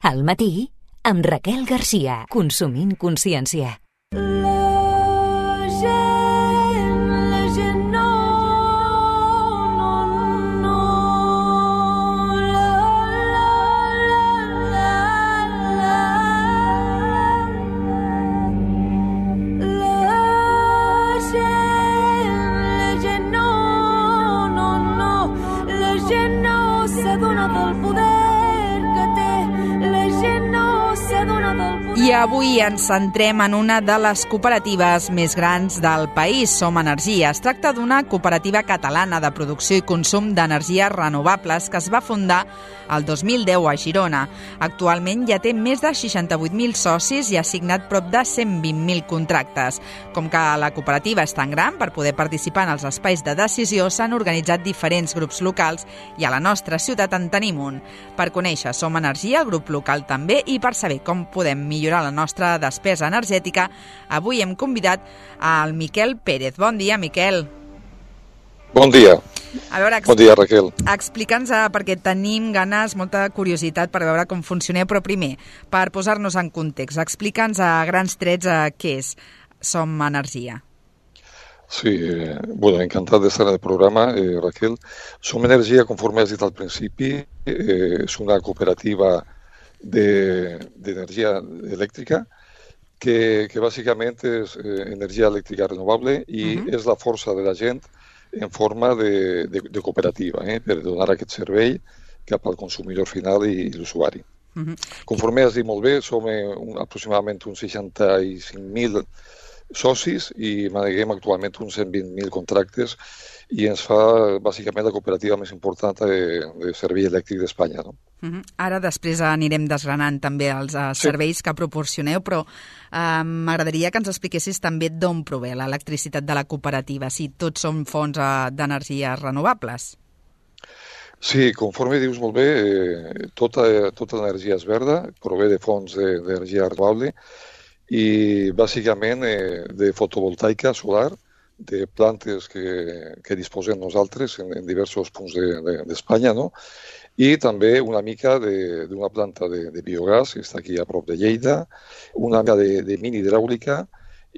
Al matí, amb Raquel Garcia, Consumint Consciència. I avui ens centrem en una de les cooperatives més grans del país, Som Energia. Es tracta d'una cooperativa catalana de producció i consum d'energies renovables que es va fundar el 2010 a Girona. Actualment ja té més de 68.000 socis i ha signat prop de 120.000 contractes. Com que la cooperativa és tan gran, per poder participar en els espais de decisió s'han organitzat diferents grups locals i a la nostra ciutat en tenim un. Per conèixer Som Energia, el grup local també, i per saber com podem millorar la nostra despesa energètica, avui hem convidat al Miquel Pérez. Bon dia, Miquel. Bon dia. A veure, bon dia, Raquel. Explica'ns, perquè tenim ganes, molta curiositat per veure com funcioneu, però primer, per posar-nos en context, explica'ns a grans trets què és Som Energia. Sí, bueno, encantat d'estar en el programa, Raquel. Som Energia, conforme has dit al principi, és una cooperativa d'energia elèctrica que bàsicament és energia elèctrica renovable i és la força de la gent en forma de cooperativa, per donar aquest servei cap al consumidor final i l'usuari. Conforme has dit molt bé, som aproximadament uns 65.000 socis i maneguem actualment uns 120.000 contractes i ens fa bàsicament la cooperativa més important de servei elèctric d'Espanya. No? Ara després anirem desgranant també els serveis que proporcioneu, però m'agradaria que ens expliquessis també d'on prové l'electricitat de la cooperativa, si tots són fonts d'energies renovables. Sí, conforme dius molt bé, tota l'energia és verda, prové de fonts d'energia renovable i bàsicament de fotovoltaica solar, de plantes que disposem nosaltres en diversos punts d'Espanya, no? I també una mica d'una planta de biogàs, que està aquí a prop de Lleida, una mica de mini hidràulica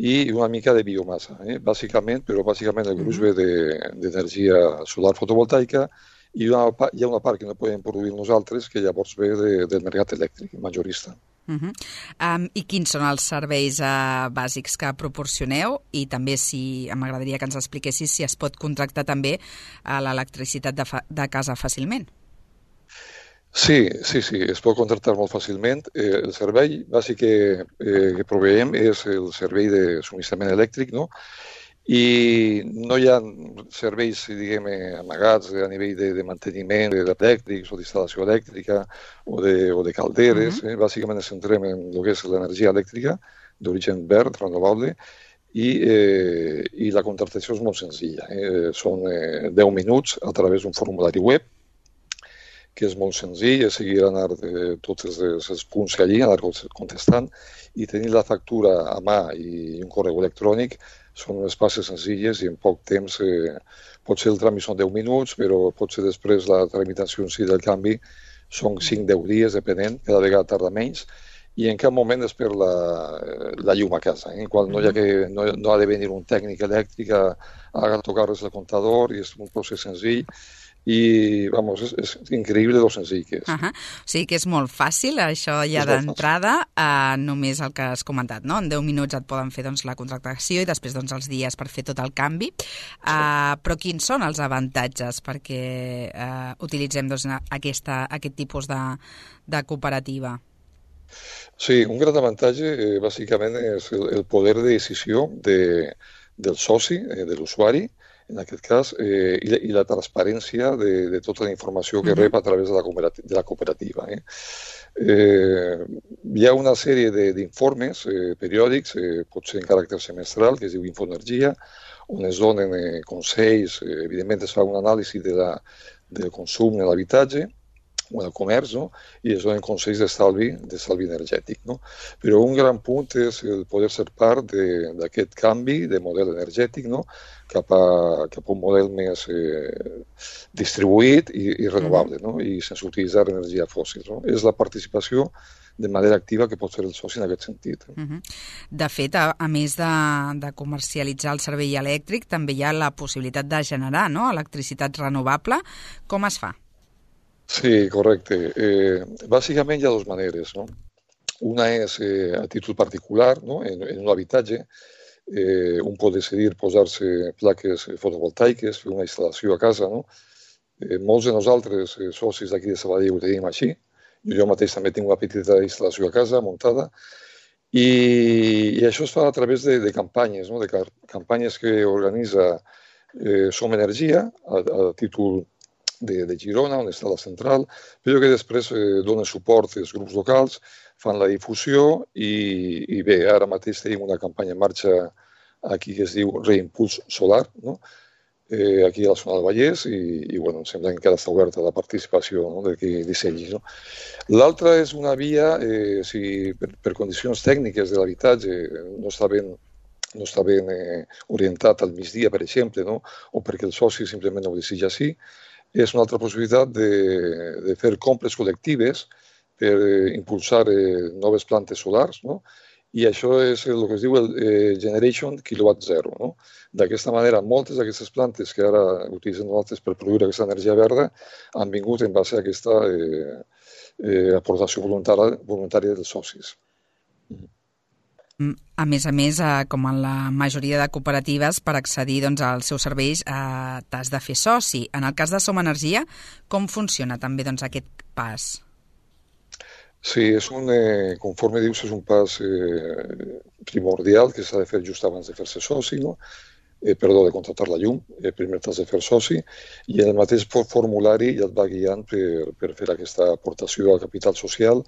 i una mica de biomassa. Bàsicament el gruix ve d'energia solar fotovoltaica i hi ha una part que no podem produir nosaltres que llavors ve del mercat elèctric majorista. I quins són els serveis bàsics que proporcioneu? I també m'agradaria que ens expliquessis si es pot contractar també l'electricitat de casa fàcilment. Sí, es pot contractar molt fàcilment. El servei bàsic que proveem és el servei de subministrament elèctric, no? I no hi ha serveis, diguem, amagats a nivell de manteniment elèctrics o d'instal·lació elèctrica o de calderes. Bàsicament ens centrem en el que és l'energia elèctrica d'origen verd, renovable, i la contractació és molt senzilla. Són 10 minuts a través d'un formulari web, que és molt senzill, és seguir anar tots els punts allí, anar contestant, i tenir la factura a mà i un correu electrònic són unes passes senzilles i en poc temps, potser el tràmit són 10 minuts, però potser després la tramitació en si del canvi són 5-10 dies, depenent, cada vegada tarda menys, i en cap moment es perd la llum a casa, en qual no ha de venir un tècnic elèctric a tocar-les el comptador, i és un procés senzill, i és increïble lo senzill que és. O sigui que és molt fàcil, això ja d'entrada, només el que has comentat, no? En 10 minuts et poden fer la contractació i després els dies per fer tot el canvi. Però quins són els avantatges perquè utilitzem aquest tipus de cooperativa? Sí, un gran avantatge bàsicament és el poder de decisió del soci, de l'usuari, en aquest cas, i la transparència de tota la informació que rep a través de la cooperativa. Hi ha una sèrie d'informes periòdics, potser en caràcter semestral, que es diu Infoenergia, on es donen consells, evidentment es fa un anàlisi del consum en l'habitatge, o en el comerç, no? I es donen consells d'estalvi energètic. No? Però un gran punt és el poder ser part d'aquest canvi de model energètic, no? cap a un model més distribuït i renovable, no? I sense utilitzar energia fòssil. No? És la participació de manera activa que pot fer el soci en aquest sentit. De fet, a més de comercialitzar el servei elèctric, també hi ha la possibilitat de generar, no?, electricitat renovable. Com es fa? Sí, correcte. Bàsicament hi ha dues maneres. No? Una és a títol particular, no? En un habitatge. Un pot decidir posar-se plaques fotovoltaiques, fer una instal·lació a casa. No? Molts de nosaltres, socis d'aquí de Sabadell, ho tenim així. Jo mateix també tinc una petita instal·lació a casa muntada i això es fa a través de campanyes, no? De campanyes que organitza Som Energia a títol de Girona, on està la central, però que després donen suport als grups locals, fan la difusió i bé, ara mateix tenim una campanya en marxa aquí que es diu Reimpuls Solar, no? Aquí a la zona del Vallès i bueno, em sembla que encara està oberta la participació, no? De qui dissenyi. No? L'altra és una via, si per condicions tècniques de l'habitatge no està ben orientat al migdia, per exemple, no? O perquè el soci simplement no ho desitja així, és una altra possibilitat de fer compres col·lectives per impulsar noves plantes solars, no? I això és el que es diu el Generation Kilowatt Zero. No? D'aquesta manera, moltes d'aquestes plantes que ara utilitzen nosaltres per produir aquesta energia verda han vingut en base a aquesta aportació voluntària dels socis. A més, com en la majoria de cooperatives, per accedir als seus serveis t'has de fer soci. En el cas de Som Energia, com funciona també aquest pas? Sí, conforme dius, és un pas primordial que s'ha de fer just abans de fer-se soci, no? De contractar la llum. Primer t'has de fer soci i en el mateix formulari ja et va guiant per fer aquesta aportació al capital social,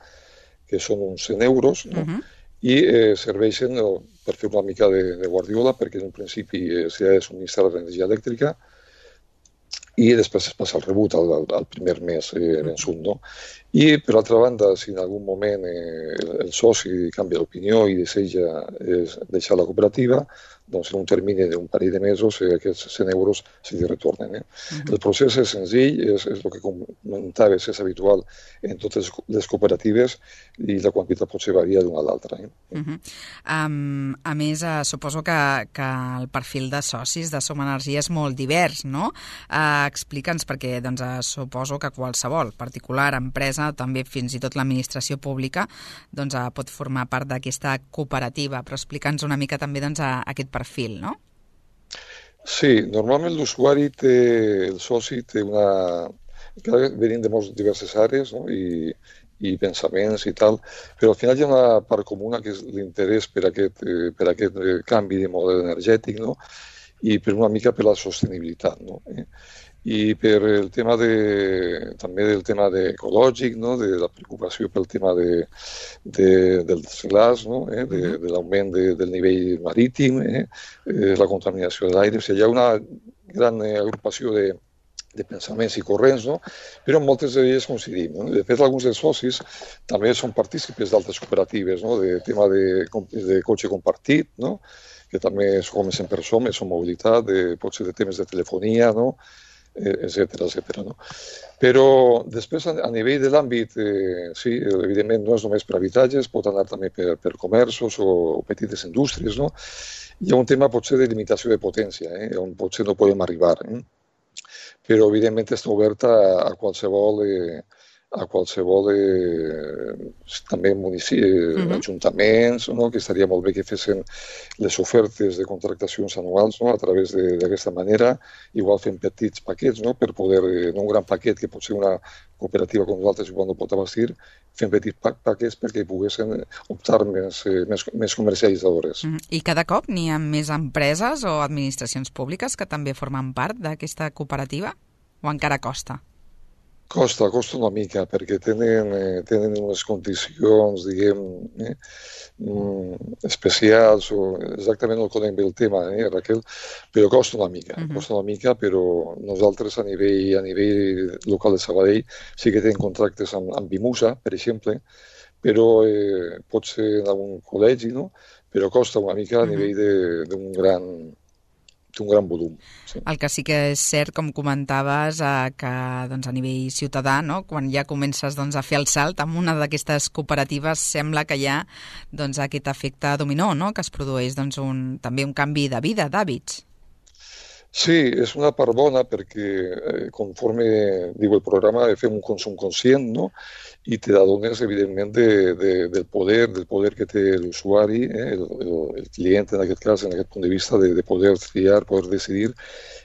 que són uns 100 euros, no? I serveixen per fer una mica de guardiola, perquè en un principi s'ha de subministrar l'energia elèctrica i després es passa el rebut al primer mes vençut. No? I, per altra banda, si en algun moment el soci canvia d'opinió i desitja deixar la cooperativa, doncs en un termini d'un parell de mesos aquests 100 euros se li retornen. El procés és senzill, és el que comentaves, és habitual en totes les cooperatives i la quantitat potser varia d'una a l'altra. A més, suposo que el perfil de socis de Som Energia és molt divers, no? Explica'ns, perquè suposo que qualsevol particular, empresa, també fins i tot l'administració pública, pot formar part d'aquesta cooperativa, però explica'ns una mica també aquest perfil, no? Sí, normalment l'usuari el soci té venint de moltes diverses àrees, no? I pensaments i tal, però al final hi ha una part comuna que és l'interès per aquest canvi de model energètic, no? I per una mica per la sostenibilitat, no? I per el tema també del tema ecològic, no? De la preocupació pel tema del desglàs, no? De l'augment del nivell marítim, la contaminació de l'aire. O sigui, hi ha una gran agrupació de pensaments i corrents, no? Però moltes d'elles coincidim. No? De fet, alguns dels socis també són partícipes d'altres cooperatives, no? De tema de cotxe compartit, no? Que també comencen per Som Mobilitat, potser de temes de telefonia, no? Etcètera. No? Però després, a nivell de l'àmbit, sí, evidentment no és només per habitatges, pot anar també per comerços o petites indústries, no? Hi ha un tema potser de limitació de potència, on potser no podem arribar, però evidentment està oberta a qualsevol també ajuntaments, no? Que estaria molt bé que fessin les ofertes de contractacions anuals, no? A través d'aquesta manera, igual fent petits paquets, no? Per poder, no un gran paquet que potser una cooperativa com nosaltres igual no pot abastir, fent petits paquets perquè poguessin optar més comercialitzadores. I cada cop n'hi ha més empreses o administracions públiques que també formen part d'aquesta cooperativa? O encara costa? Costa una mica, perquè tenen unes condicions, diguem, especials, o exactament no conec bé el tema, Raquel, però costa una mica, però nosaltres a nivell local de Sabadell sí que tenim contractes amb Bimusa, per exemple, però pot ser en algun col·legi, no? Però costa una mica a nivell d'un gran volum. Sí. El que sí que és cert, com comentaves, que doncs, a nivell ciutadà, no? Quan ja comences doncs, a fer el salt amb una d'aquestes cooperatives, sembla que hi ha doncs, aquest efecte dominó, no? Que es produeix doncs, també un canvi de vida, d'hàbits. Sí, és una part bona perquè conforme diu el programa fem un consum conscient, no? I te adones evidentment del poder que té l'usuari, el client en aquest cas, en aquest punt de vista, de poder triar, poder decidir,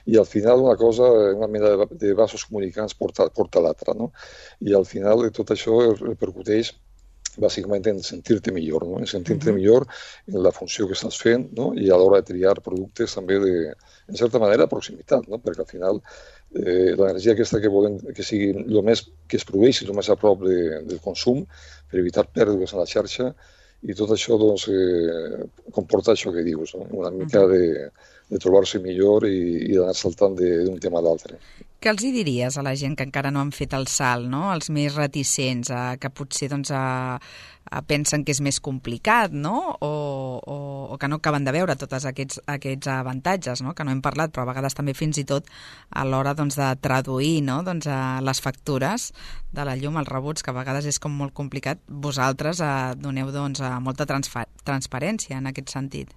i al final una mena de vasos comunicants porta l'altra, no? I al final tot això repercuteix bàsicament en sentir-te millor, no? En sentir-te millor en la funció que estàs fent, no? I a l'hora de triar productes també en certa manera, proximitat, no? Perquè al final l'energia aquesta que volem que sigui el més que es produeixi el més a prop del consum per evitar pèrdues en la xarxa i tot això doncs, comporta això que dius, no? Una mica de trobar-se millor i d'anar saltant d'un tema a l'altre. Què els hi diries a la gent que encara no han fet el salt, no? Els més reticents, que potser doncs, pensen que és més complicat, no? O que no acaben de veure tots aquests avantatges, no? Que no hem parlat, però a vegades també fins i tot a l'hora doncs, de traduir, no? Doncs, les factures de la llum, els rebuts, que a vegades és com molt complicat. Vosaltres doneu doncs, molta transparència en aquest sentit.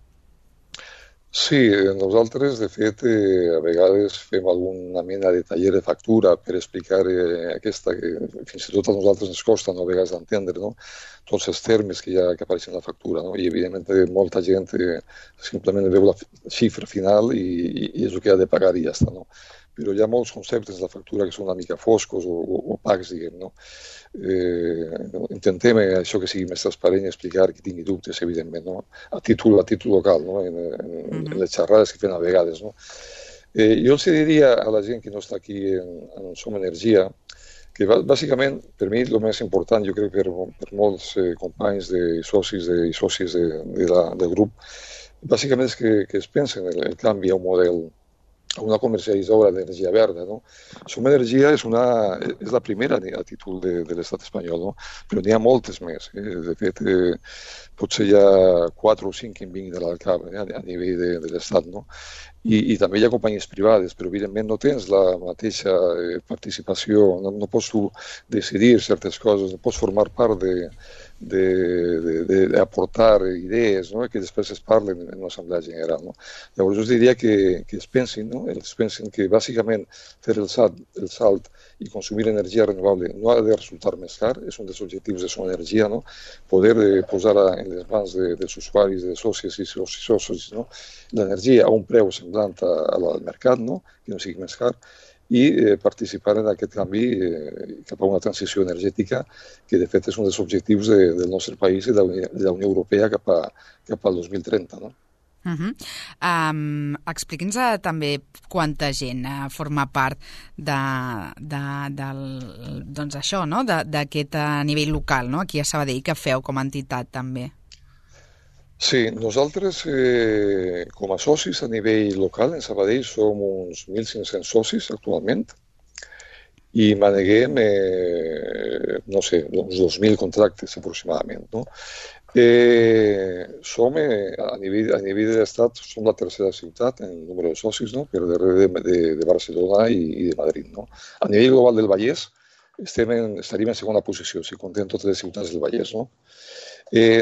Sí, nosaltres, de fet, a vegades fem alguna mena de taller de factura per explicar aquesta, que fins i tot a nosaltres ens costa, no, a vegades d'entendre, no? Tots els termes que apareixen en la factura, no? I, evidentment, molta gent simplement veu la xifra final i és el que ha de pagar i ja està, no? Però hi ha molts conceptes de la factura que són una mica foscos o opacs, diguem, no? Intentem això que sigui més transparent i explicar qui tingui dubtes, evidentment, no? A títol local, no? En les xerrades que fem a vegades, no? Jo els diria a la gent que no està aquí en Som Energia que bàsicament, per mi, el més important, jo crec per molts companys i socis del grup, bàsicament és que es pensen el canvi a un model, a una comercialitzadora d'energia verda, no? Som Energia és la primera a títol de l'estat espanyol, no? Però n'hi ha moltes més. De fet, potser hi ha 4 o 5 que em vinguin de l'Alcab a nivell de l'estat, no? I també hi ha companyies privades, però evidentment no tens la mateixa participació, no pots tu decidir certes coses, no pots formar part d'aportar idees, no? Que després es parlen en l'Assemblea General, no? Llavors jo diria que es pensin, no? Ells pensen que bàsicament fer el salt i consumir energia renovable no ha de resultar més car, és un dels objectius de Som Energia, no? Poder posar en les mans dels usuaris, de socis i socis, no? L'energia a un preu semblant al mercat, no? Que no sigui més car, i participar en aquest canvi cap a una transició energètica que de fet és un dels objectius del nostre país i de la Unió Europea cap al 2030, no? Expliqui'ns també quanta gent forma part doncs això, no? D'aquest nivell local, no? Aquí a Sabadell, que feu com a entitat també. Sí, nosaltres com a socis a nivell local en Sabadell som uns 1.500 socis actualment i maneguem, no sé, uns 2.000 contractes aproximadament, no? Som, a nivell de l'estat, som la tercera ciutat en número de socis, no? Per darrere de Barcelona i de Madrid, no? A nivell global del Vallès estaríem en segona posició, si contem totes les ciutats del Vallès, no?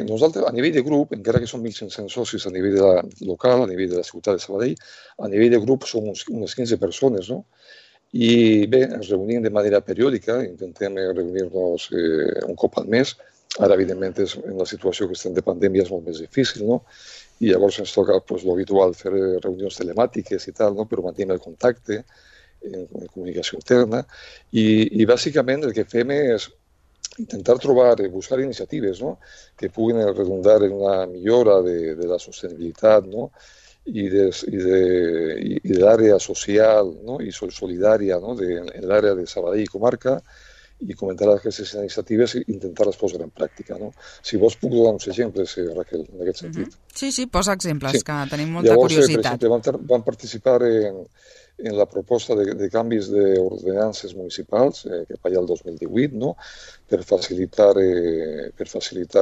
Nosaltres, a nivell de grup, encara que som 1.500 socis a nivell local, a nivell de la ciutat de Sabadell, a nivell de grup som unes 15 persones, no? I bé, ens reunim de manera periòdica, intentem reunir-nos un cop al mes. Ara, evidentment, en la situació que estem de pandèmia és molt més difícil, no? I llavors ens toca l'habitual fer reunions telemàtiques i tal, no? Però mantenim el contacte en comunicació interna i bàsicament el que fem és intentar buscar iniciatives, no? Que puguin redundar en una millora de la sostenibilitat, no? y del área social, ¿no? Y solidaria, ¿no? En el área de Sabadell i comarca, i comentar aquestes iniciatives i intentar-les posar en pràctica. No? Si vols puc donar uns exemples, Raquel, en aquest sentit. Sí, posa exemples, sí. Que tenim molta Llavors, curiositat. per exemple, van participar en la proposta de canvis d'ordenances municipals cap allà el 2018, no? per facilitar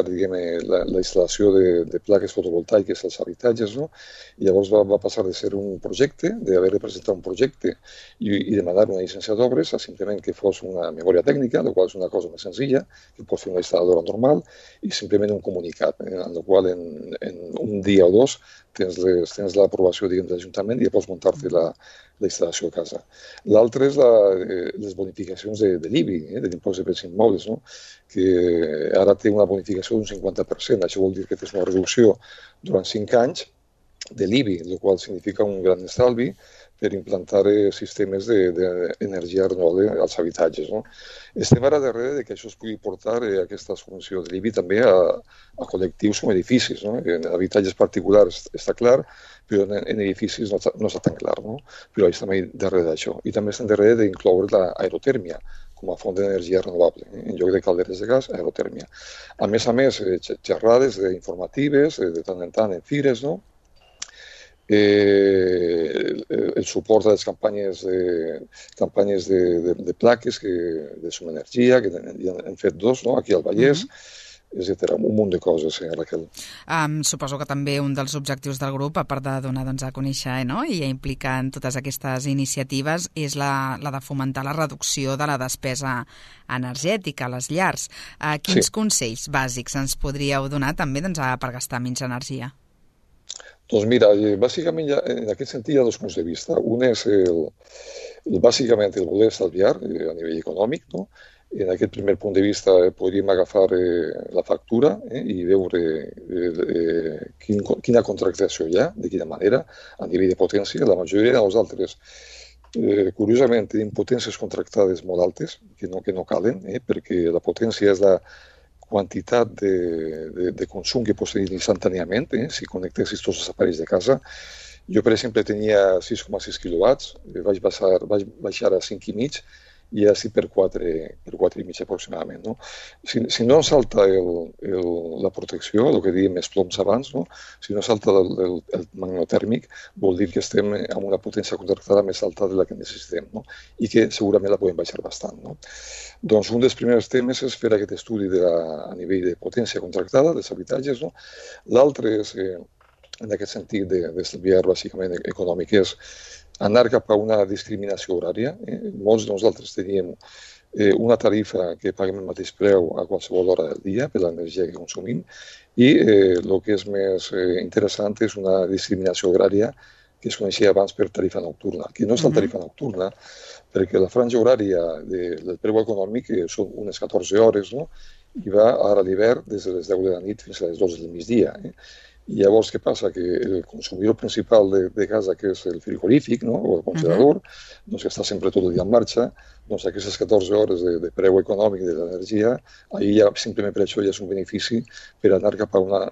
diguem, la instal·lació de plaques fotovoltaiques als habitatges. No? I llavors va passar de ser un projecte, d'haver de presentar un projecte i demanar una llicència d'obres a simplement que fos una memòria tècnica, la qual és una cosa més senzilla, que pot fer una instal·ladora normal, i simplement un comunicat, en el qual en un dia o dos tens l'aprovació de l'Ajuntament i ja pots muntar-te la instal·lació a casa. L'altre és les bonificacions de l'IBI, de l'impost de béns immobles, no? Que ara té una bonificació d'un 50%. Això vol dir que tens una reducció durant 5 anys de l'IBI, el qual significa un gran estalvi per implantar sistemes d'energia renovable als habitatges. No? Estem ara darrere que això es pugui portar aquesta subvenció de l'IBI també a col·lectius com edificis. No? En habitatges particulars està clar, però en edificis no està tan clar. No? Però estem darrere d'això. I també estem darrere d'incloure l'aerotèrmia com a font d'energia renovable. En lloc de calderes de gas, aerotèrmia. A més, xerrades informatives, de tant en tant en fires, no? El suport a les campanyes de plaques de Som Energia, que ja hem fet 2, no? Aquí al Vallès, etc. Un munt de coses, Raquel. Suposo que també un dels objectius del grup, a part de donar a conèixer i a implicar en totes aquestes iniciatives, és la de fomentar la reducció de la despesa energètica a les llars. Quins consells bàsics ens podríeu donar també per gastar menys energia? Doncs mira, bàsicament en aquest sentit hi ha 2 punts de vista. Un és bàsicament el voler estalviar a nivell econòmic, no? En aquest primer punt de vista podríem agafar la factura i veure quina contractació hi ha, de quina manera, a nivell de potència. La majoria de nosaltres, curiosament, tenim potències contractades molt altes, que no calen, perquè la potència és la quantitat de consum que pots tenir instantàniament, si connectessis tots els aparells de casa. Jo, per exemple, tenia 6,6 quilowatts, vaig baixar a 5,5 i ja estic per 4,5 aproximadament. No? Si no salta la protecció, el que dèiem els ploms abans, no? Si no salta el magnetotèrmic, vol dir que estem amb una potència contractada més alta de la que necessitem, no? I que segurament la podem baixar bastant. No? Doncs un dels primers temes és fer aquest estudi a nivell de potència contractada dels habitatges. No? L'altre és, en aquest sentit d'estalviar bàsicament econòmic, és anar cap a una discriminació horària. Molts de nosaltres teníem una tarifa que paguem el mateix preu a qualsevol hora del dia per l'energia que consumim i el que és més interessant és una discriminació horària que es coneixia abans per tarifa nocturna, que no és la tarifa nocturna perquè la franja horària del preu econòmic són unes 14 hores, no? I va ara a l'hivern des de les 10 de la nit fins a les 12 del migdia. I llavors què passa? Que el consumidor principal de casa, que és el frigorífic, no? O el congelador, doncs que està sempre tot el dia en marxa, doncs aquestes 14 hores de preu econòmic de l'energia, ahir ja simplement per això ja és un benefici per anar cap a una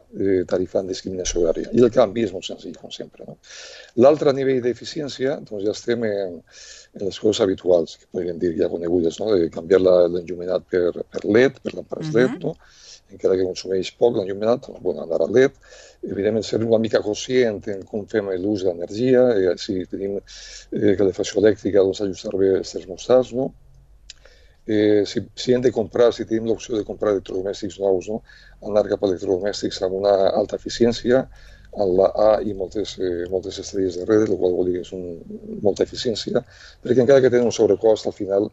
tarifa en discriminació horària. I el canvi és molt senzill, com sempre. No? L'altre nivell d'eficiència, doncs ja estem en les coses habituals, que podríem dir ja conegudes, no? De canviar l'enllumenat per LED, per làmpades LED, no? Encara que consumeix poc l'enllumenat, doncs, anar a LED. Evidentment, ser una mica conscient en com fem l'ús de l'energia, si tenim calefacció elèctrica, doncs ajustar bé els termostats, no? Si hem de comprar, si tenim l'opció de comprar electrodomèstics nous, no? Anar cap a electrodomèstics amb una alta eficiència, en la A i moltes estrelles darrere, el qual vol dir que és molta eficiència, perquè encara que tenen un sobrecost, al final,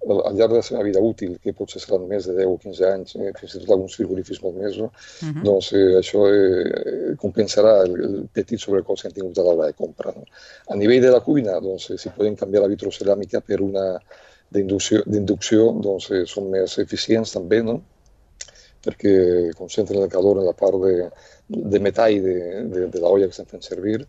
al llarg de la seva vida útil, que potser seran més de 10 o 15 anys, fins i tot alguns frigorífics molt més, no? Doncs això compensarà el petit sobrecost que han tingut a l'hora de compra. No? A nivell de la cuina, doncs, si podem canviar la vitroceràmica per una d'inducció, doncs són més eficients també, no? perquè concentren el calor en la part de metall de la olla que estem fent servir,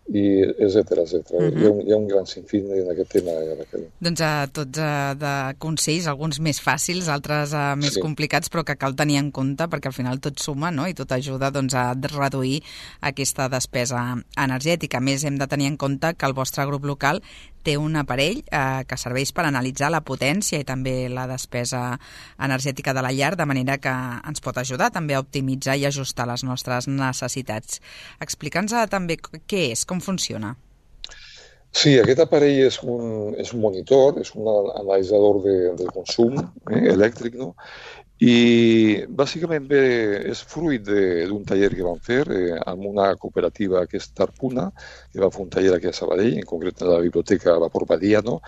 i etcètera. Hi ha un gran sinfín en aquest tema, Raquel. Doncs tots de consells, alguns més fàcils, altres més complicats, però que cal tenir en compte perquè al final tot suma, no? I tot ajuda a reduir aquesta despesa energètica. A més, hem de tenir en compte que el vostre grup local té un aparell que serveix per analitzar la potència i també la despesa energètica de la llar, de manera que ens pot ajudar també a optimitzar i ajustar les nostres necessitats. Explica'ns també què és, com funciona. Sí, aquest aparell és un monitor, és un analitzador del consum elèctric, no? I bàsicament és fruit d'un taller que vam fer amb una cooperativa que és Tarpuna, que va fer un taller aquí a Sabadell, en concret a la biblioteca Vapor Badia, no?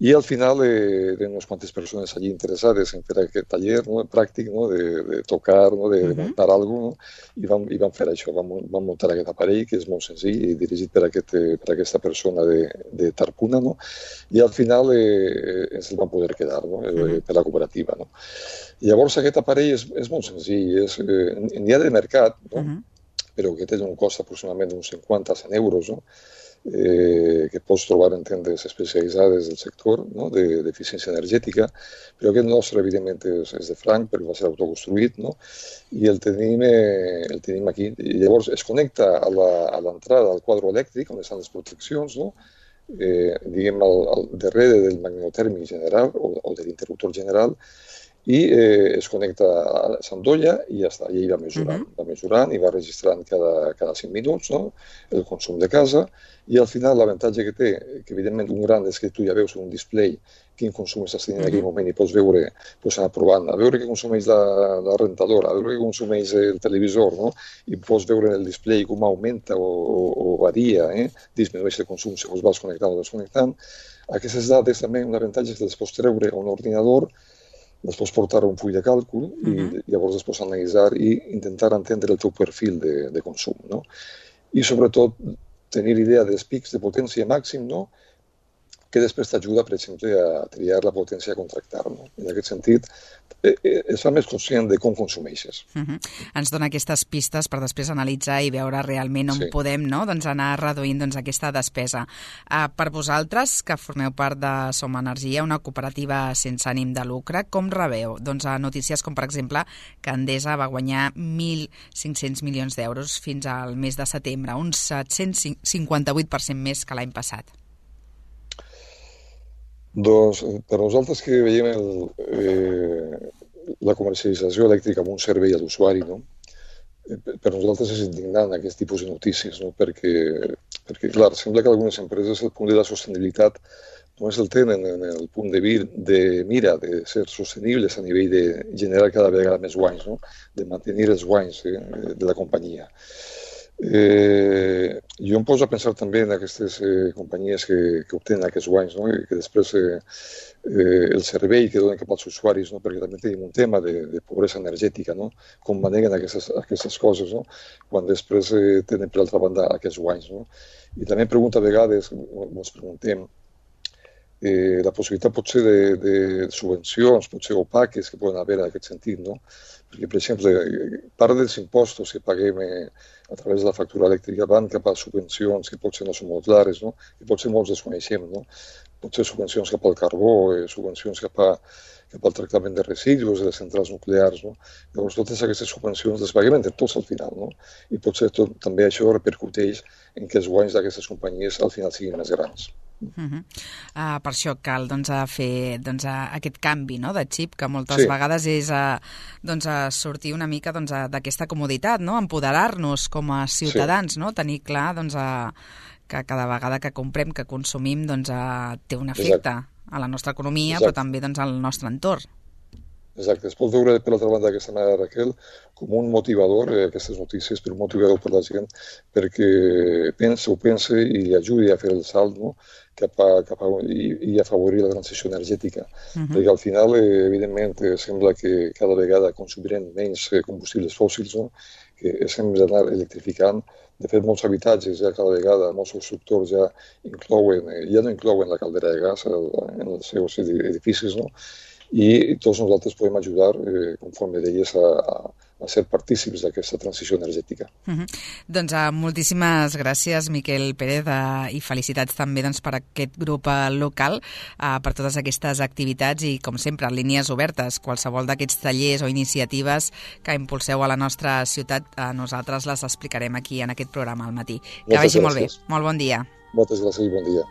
I al final eren unes quantes persones allí interessades en fer aquest taller, no? Pràctic, no? De tocar, no? De muntar alguna cosa, no? I vam fer això, vam muntar aquest aparell, que és molt senzill i dirigit per aquesta persona de Tarpuna, no? I al final ens el vam poder quedar, no? Per la cooperativa, no? Llavors aquest aparell és molt senzill, n'hi ha de mercat, no? Però que té un cost aproximadament d'uns 50-100 euros, no? Que pots trobar en tendes especialitzades del sector, no? D'eficiència energètica, però aquest nostre, evidentment, és de franc, perquè va ser autoconstruït, no? I el tenim aquí. I llavors es connecta a l'entrada al quadre elèctric, on estan les proteccions, no? Diguem, al darrere del magnetotèrmic general o de l'interruptor general, i es connecta a l'endolla i ja està, i ell va mesurant i va registrant cada 5 minuts, no? El consum de casa, i al final l'avantatge que té, que evidentment un gran és que tu ja veus en un display quin consum estàs tenint en aquell moment i pots veure, pots anar provant, a veure què consumeix la rentadora, a veure què consumeix el televisor, no? I pots veure en el display com augmenta o varia, disminueix el consum segons vas connectant o desconnectant. Aquestes dades també, un avantatge és que les pots treure a un ordinador, les pots portar a un full de càlcul i llavors les pots analitzar i intentar entendre el teu perfil de consum, no? I sobretot tenir idea dels pics de potència màxim, no? Que després t'ajuda, per exemple, a triar la potència a contractar, no? En aquest sentit, es fa més conscient de com consumeixes. Ens dona aquestes pistes per després analitzar i veure realment on podem, no? Doncs anar reduint aquesta despesa. Per vosaltres, que formeu part de Som Energia, una cooperativa sense ànim de lucre, com rebeu? Doncs notícies com, per exemple, que Endesa va guanyar 1.500 milions d'euros fins al mes de setembre, un 758% més que l'any passat. Doncs per nosaltres que veiem la comercialització elèctrica com un servei a l'usuari, no? Per nosaltres és indignant aquest tipus de notícies, no? Perquè clar, sembla que algunes empreses el punt de la sostenibilitat només el tenen en el punt de mira de ser sostenibles a nivell de generar cada vegada més guanys, no? De mantenir els guanys de la companyia. Jo em poso a pensar també en aquestes companyies que obtenen aquests guanys, no? I que després el servei que donen cap als usuaris, no? Perquè també tenim un tema de pobresa energètica, no? Com maneguen aquestes coses, no? Quan després tenen per altra banda aquests guanys, no? I també em pregunto a vegades, ens preguntem, la possibilitat potser de subvencions, potser opaques que poden haver en aquest sentit, no? Perquè, per exemple, part dels impostos que paguem a través de la factura elèctrica van cap a subvencions que potser no són molt clares, no? Que potser molts desconeixem, no? Potser subvencions cap al carbó, subvencions cap al tractament de residus de les centrals nuclears, no? Llavors, totes aquestes subvencions les paguem entre tots al final, no? I potser també això repercuteix en que els guanys d'aquestes companyies al final siguin més grans. Per això cal fer aquest canvi, no, de xip, que moltes vegades és sortir una mica d'aquesta comoditat, no? Empoderar-nos com a ciutadans, no? Tenir clar que cada vegada que comprem, que consumim, té un efecte a la nostra economia, però també al nostre entorn. Exacte, es pot veure per l'altra banda d'aquesta manera, Raquel, com un motivador, aquestes notícies, per un motivador per la gent, perquè pensa i ajudi a fer el salt, no? I afavorir la transició energètica. Perquè al final, evidentment, sembla que cada vegada consumirem menys combustibles fòssils, no? Que hem d'anar electrificant. De fet, molts habitatges ja cada vegada, molts constructors ja no inclouen la caldera de gas en els seus edificis, no? i tots nosaltres podem ajudar, conforme deies, a ser partícips d'aquesta transició energètica. Doncs moltíssimes gràcies, Miquel Pérez, i felicitats també per aquest grup local, per totes aquestes activitats i, com sempre, línies obertes. Qualsevol d'aquests tallers o iniciatives que impulseu a la nostra ciutat, nosaltres les explicarem aquí en aquest programa al matí. Que vagi molt bé. Molt bon dia. Moltes gràcies i bon dia.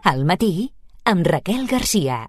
Al matí, amb Raquel Garcia.